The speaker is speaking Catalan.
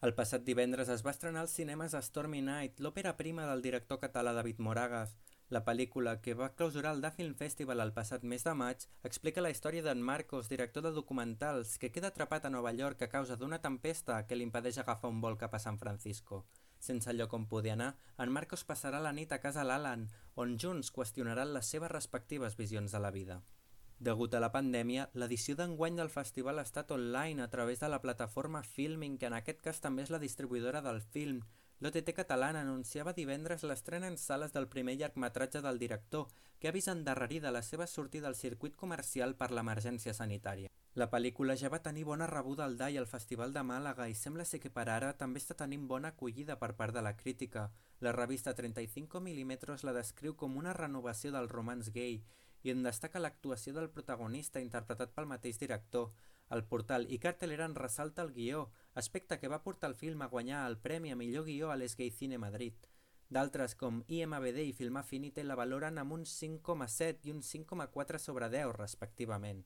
El passat divendres es va estrenar als cinemes Stormy Night, l'òpera prima del director català David Moragas. La pel·lícula, que va clausurar el Da Film Festival el passat mes de maig, explica la història d'en Marcos, director de documentals, que queda atrapat a Nova York a causa d'una tempesta que li impedeix agafar un vol cap a San Francisco. Sense lloc on poder anar, en Marcos passarà la nit a casa l'Alan, on junts qüestionaran les seves respectives visions de la vida. Degut a la pandèmia, l'edició d'enguany del festival ha estat online a través de la plataforma Filming, que en aquest cas també és la distribuïdora del film. L'OTT catalana anunciava divendres l'estrena en sales del primer llargmetratge del director, que ha vist endarrerida la seva sortida al circuit comercial per l'emergència sanitària. La pel·lícula ja va tenir bona rebuda al DAI al Festival de Màlaga i sembla ser que per ara també està tenint bona acollida per part de la crítica. La revista 35 mm la descriu com una renovació del romans gay i en destaca l'actuació del protagonista interpretat pel mateix director. El portal iCartelera en ressalta el guió, aspecte que va portar el film a guanyar el premi a millor guió a l'Esgay Cine Madrid. D'altres com IMBD i Film Affinity la valoren amb un 5,7 i un 5,4 sobre 10 respectivament.